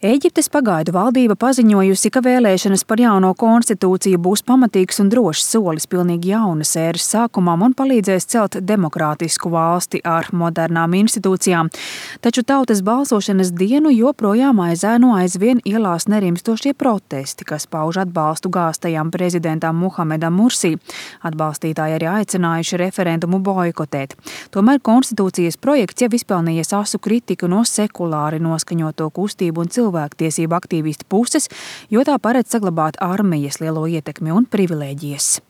Ēģiptes pagaidu valdība paziņojusi, ka vēlēšanas par jauno konstitūciju būs pamatīgs un drošs solis pilnīgi jaunas ēras sākumam un palīdzēs celt demokrātisku valsti ar modernām institūcijām. Taču tautas balsošanas dienu joprojām aizēno aizvien ielās nerimstošie protesti, kas pauž atbalstu gāstajam prezidentam Muhamedam Mursī. Atbalstītāji arī aicinājuši referendumu boikotēt. Tomēr konstitūcijas projekts jau izpelnījies asu kritiku no sekulāri noskaņoto kustību un cilvēktiesību aktīvistu puses, jo tā paredz saglabāt armijas lielo ietekmi un privilēģijas.